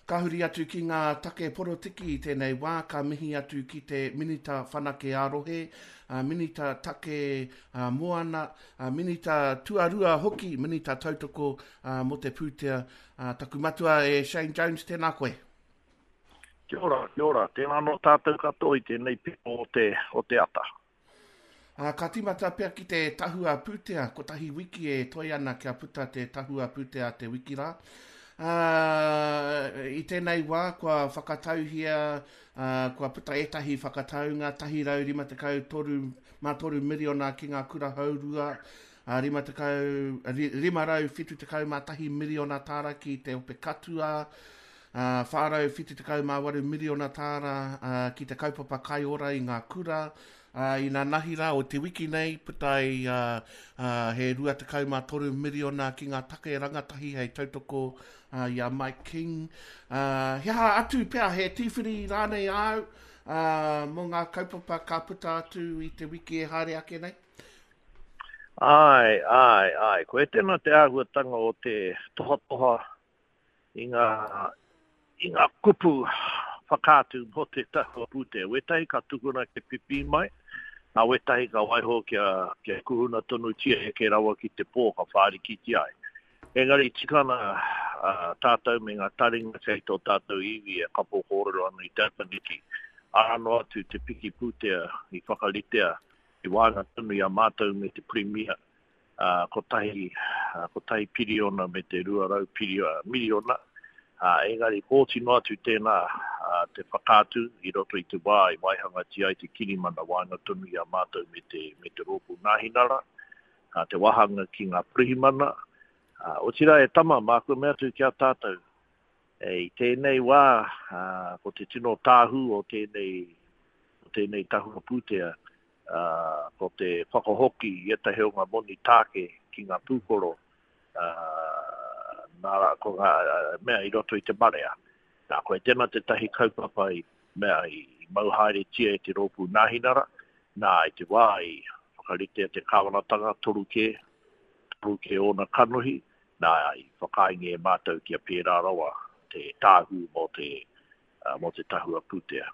Ka huri atu ki ngā take porotiki i tēnei wā, ka mihi atu ki te Minita Whanake ā-Rohe, Minita Take Moana, Minita Tuarua hoki, Minita Tautoko mō te Pūtea, taku matua e Shane Jones, tēnā koe. Kia ora, kia ora. Tēnā anō tātou katoa i tēnei piko o te, o te ata. Ā, ka tīmata pea ki te tahua pūtea, kotahi wiki e toe ana kia puta te tahua pūtea a te wiki rā. Ā, i tēnei wā kua whakatauhia, ā, kua puta ētahi whakataunga, 153 mā toru miriona ki ngā kura haurua, ā, 50, 571 miriona tāra ki te ope katua, ā, 478 miriona tāra ki te kaupapa kai ora i ngā kura, ā, inanahi rā o te wiki nei, puta ai he 23 miriona ki ngā take rangatahi hei tautoko i a Mike King. Ā, he aha atu pea, he tīwhiri rānei āu mō ngā kaupapa ka puta atu i te wiki e haere ake nei? Āe, āe, āe. Koe tēnā te āhuatanga o te tohatoha i ngā, i ngā kupu whakaatu mō te tahua pūtea. Wētahi ka tukuna kia pipī mai, nā wētahi ka waiho kia, kia kuhuna tonutia heke rawa ki te pō ka whārikitia ai. Engari tika ana tātou me ngā taringa kei tō tātou iwi e kapo kōrero ana i te ata neki, arā noa atu te piki pūtea i whakaritea i waenga tonu i a mātou me te Pirimia ā, kotahi, ā, kotahi piriona me te 200 pirio, miriona, ā, engari kōti noa atu tēnā, ā, te whakaatu i roto i te wā i waihangatia ai te kirimana waenga tonu i a mātou me te, me te Rōpū Nāhinara, ā, te wāhanga ki ngā pirihimana, ā, otirā e tama, māku e mea atu ki a tātou, e, i tēnei wā, ā, ko te tino tāhū o tēnei, o tēnei tahua pūtea, ā, ko te whakahoki i ētahi o ngā moni tāke ki ngā pūkoro, ā, nā, ko ngā mea i roto i te marea. Nā, koe tēnā tētahi kaupapa i mea i mau haeretia e te rōpū Nāhinara, nā, i te wā i whakaritea te kāwanatanga, toru kē, toru kē ōna kanohi, nā, i whakaaengia e mātou kia pērā rawa te tāhū mō te, mō te tahua pūtea.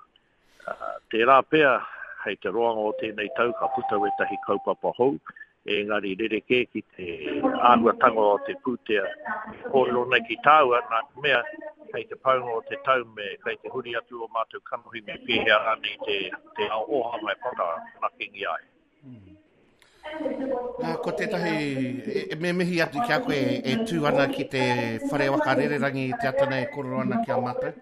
Tērā pea, hei te roanga o tēnei tau ka puta wētahi kaupapa hou, engari rerekē ki te āhuatanga o te pūtea e kōrero nei ki tāua, nā te mea, kei te paunga o te tau me kei te huri atu ō mātou kanohi me pēhea rānei te, te ao ōhanga e whakawhanakengia ai. Nā, ko tētahi, e, me mihi atu ki a koe e tū ana ki te whare waka rererangi i te ata nei e kōrero ana ki a mātou.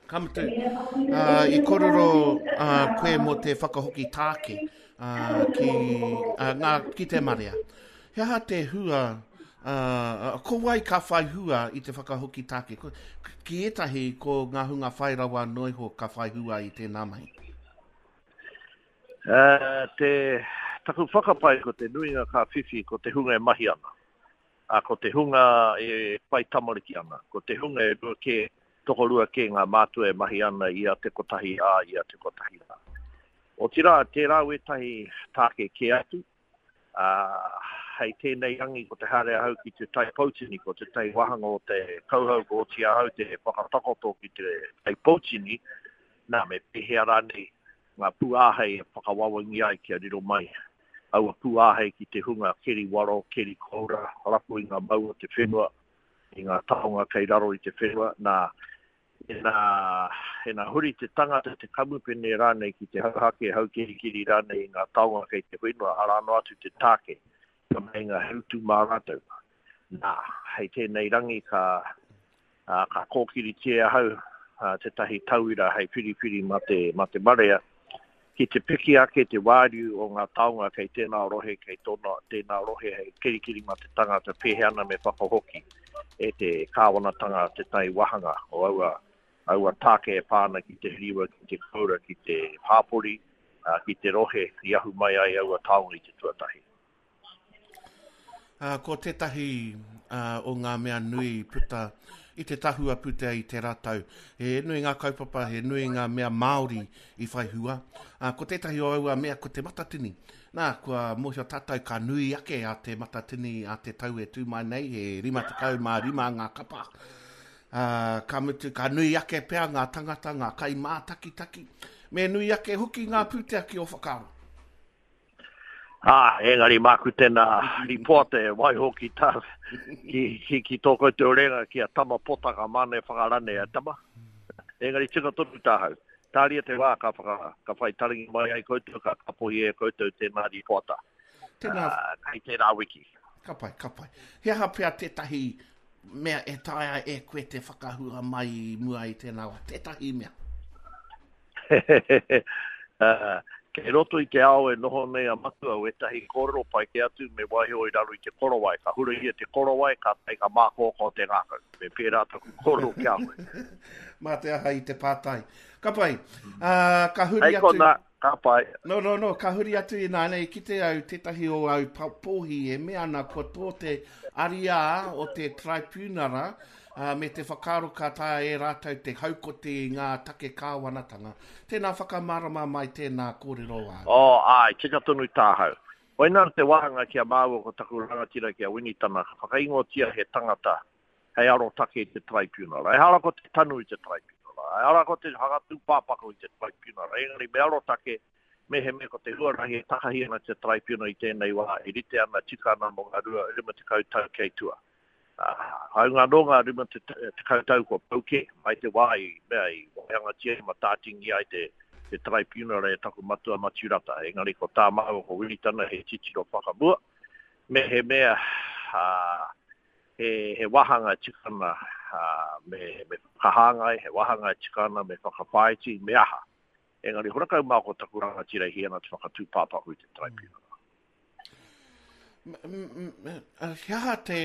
Ka mutu, uh, i kōrero uh, koe mō te whakahoki tāke uh, ki, uh, ngā, ki te marea. He aha te hua, uh, ko wai ka whai hua i te whakahoki tāke? Ko, ki ētahi, ko ngā hunga whai rawa noa iho ka whai hua i tēnā mahi. Uh, te, taku whakapae ko te nuinga ka whiwhi ko te hunga e mahi ana. Ā, ko te hunga e whai tamariki ana, ko te hunga e rua kē, tokorua kē ngā mātua e mahi ana i a te kotahi rā, i a te kotahi rā. Otirā, tērā wētahi tāke kē atu, ā, hei tēnei rangi ko te haere ahau ki Te Tai Poutini, ko tētahi wāhanga o te kauhau kua oti ahau te whakatakoto ki Te Tai Poutini, nā, me pēhea rānei ngā pūāhei e whakawawangi ai kia riro mai aua pūāhei ki te hunga keri waro, keri koura, rapu i ngā mau o te whenua, i ngā taonga kei raro i te whenua, nā, ina, ina huri te tangata, te kamupene rānei ki te hauhake, haukerikeri rānei i ngā taonga kei te whenua, arā noa atu te tāke, ka meinga he utu mā rātou. Nā, hei tēnei rangi ka, ā, ka kōkiritia e ahau tētahi tauira hei whiriwhiri mā te, mā te marea, ki te piki ake te wāriu o ngā taonga kei tēnā rohe, kei tōna, tēnā rohe hei kirikiri mā te tangata pēhea ana me whakahoki e te kāwanatanga tētahi wāhanga o aua, aua tāke e pā ana ki te hiriwa, ki te koura, ki te hāpori, ā, ki te rohe i ahu mai ai aua taonga i te tuatahi. Ā, ko tētahi o ngā mea nui i puta i te tahua pūtea i tērā tau, he nui ngā kaupapa, he nui ngā mea Māori i whai hua. Ā, ko tētahi o aua mea ko Te Matatini. Nā, kua mōhio tātou ka nui ake a Te Matatini a te tau e tū mai nei, he 55 ngā kapa. Ā, ka mutu, ka nui ake pea ngā tangata, ngā kaimātakitaki, me nui ake hoki ngā pūtea ki ō whakaaro. Ā, engari māku tēnā rīpoata e waiho ki tā, ki, ki, ki tō koutou renga ki a Tama Potaka māna e whakarane a Tama. Engari tika tonu tāhau. Tāria te wā ka whaka, ka whai taringa mai ai koutou, ka kapohi e koutou tēnā rīpoata. Tēnā. Ā, kei tērā wiki. Ka pai, ka pai. He aha pea tētahi mea e taea e koe te whakahua mai i mua i tēnā wā? Tētahi mea. Kei roto i te ao e noho nei a Matua wētahi kōrero pai kē atu me waiho i raro i te korowai. Ka hurahia te korowai, kātahi ka mākōkō te ngākau. Me pērā taku kōrero ki a koe. Mā te aha i te pātai. Ka pai. Ka huri atu. Hei konā, ka pai. No, no, no, ka huri atu ināianei, i kite au tētahi o au pōhi e mea ana kua tō te ariā o te Traipiunara ā, me te whakaaro ka taea e rātou te haukoti i ngā take kāwanatanga. Tēnā whakamārama mai tēnā kōrero āu. Oh, āe, tika tonu tāhau. Koinā te wāhanga ki a māua ko taku rangatira ki a Winitana, ka whakaingoatia he tangata hei arotake i te Taraipiunara. Ehara ko te tanu i te Taraipiunara, ehara ko te whakatūpāpaku i te Taraipiunara, engari me arotake mehemea ko te huarahi e takahi ana te Taraipiunara i tēnei wā e rite ana, tika ana mō ngā 50 tau kei tua. Hāunga anō ngā 50 tau kua pau kē, mai te wā i mea i waihangatia i matātingi ai te taraipiunara e taku matua Matiu Rata. Engari ko tā māua ko Wiritana he titiro whakamua, mehemea he wāhanga e tika ana me whakahāngai, he wāhanga e tika ana me whakawhāiti, me aha. Engari horakau mā ko taku rangatira i hī ana te whakatūpāpaku i te taraipiunara. He aha te,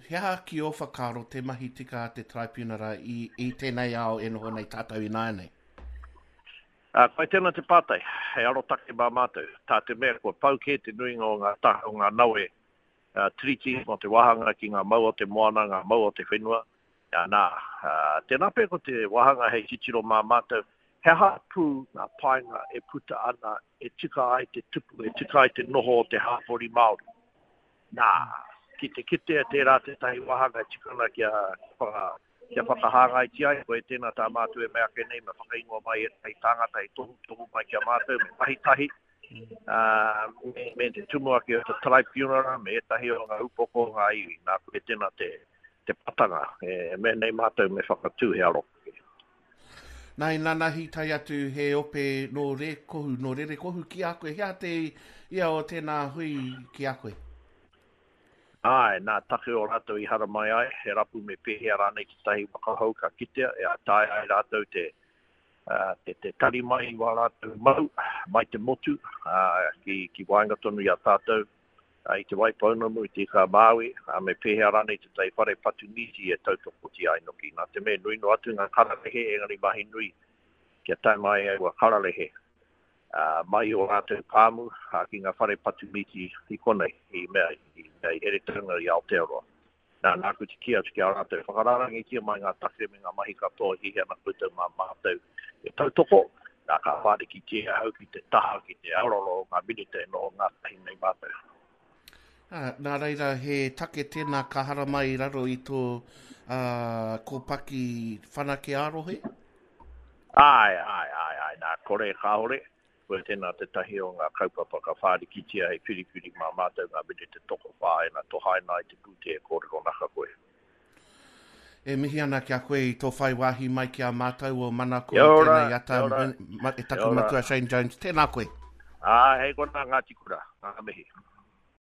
he aha ki ō whakaaro te mahi tika a te Taraipiunara i, i tēnei ao e noho nei tātou ināianei? Koe tēnā te pātai, hei arotake mā mātou, tā te mea kua pau kē te nuinga o ngā taha o ngā nawe tiriti mō te wāhanga ki ngā mau o te moana, ngā mau o te whenua, Nā, tēnā pea ko te wāhanga hei titiro mā mātou, he aha pū ngā painga e puta ana e tika ai te tupu, e tika ai te noho o te hāpori Māori. Nā, ki te kitea tērā tētahi wāhanga e tika ana kia, kia whakahāngaitia ai koe, tēnā tā mātou e mea ake nei, me whakaingoa mai ētahi tāngata hei tohutohu mai ki a mātou, me mahi tahi, ā, me, me te tumuaki o te taraipiunara, me ētahi o ngā upoko o ngā iwi. Nā, koe tēnā te, te patanga, e mea nei mātou me whakatū he arotake. Nā, i nanahi tae atu he ope nō Rēkohu, nō Rerekohu ki a koe. He aha te ia o tēnā hui ki a koe? Āe, nā take o rātou i haramai ai, he rapu me pēhea rānei tētahi waka hou ka kitea, e taea ai rātou te, te, te tari mai i wā rātou mau, mai te motu, ā, ki, ki waenga tonu i a tātou, i Te Waipounamu, i Te Ika-a-Māui, ā, me pēhea rānei tētahi whare patu mīti e tautokotia ai noki. Nā te mea nui noa atu ngā kararehe, engari mahi nui kia tae mai aua kararehe mai i ō rātou pāmu ki ngā whare patu mīti i konei, i mea, i mea i Heretaunga, i Aotearoa. Nā, nāku te kī atu ki a rātou, whakarārangitia mai ngā take me ngā mahi katoa e hiahia ana koutou mā mātou e tautoko, nā, ka whārikitia ahau ki te taha, ki te aroaro o ngā minita e noho ngātahi nei mātou. Ā, nā reira, he take tēnā ka haramai i raro i tō, ā, kōpaki whanake ā-rohe? Āe, āe, āe, āe, nā, kore, kāore. Koe tēnā tētahi o ngā kaupapa ka whārikitia hei whiriwhiri mā mātou ngā minita tokowhā ina tohaina ai te pūtea e kōrero naka koe. E mihi ana ki a koe i tō whai wāhi mai ki a mātou o Manako i tēnei ata, e taku matua Shane Jones. Tēnā koe. Ā, hei konā Ngāti Kura. Ngā mihi.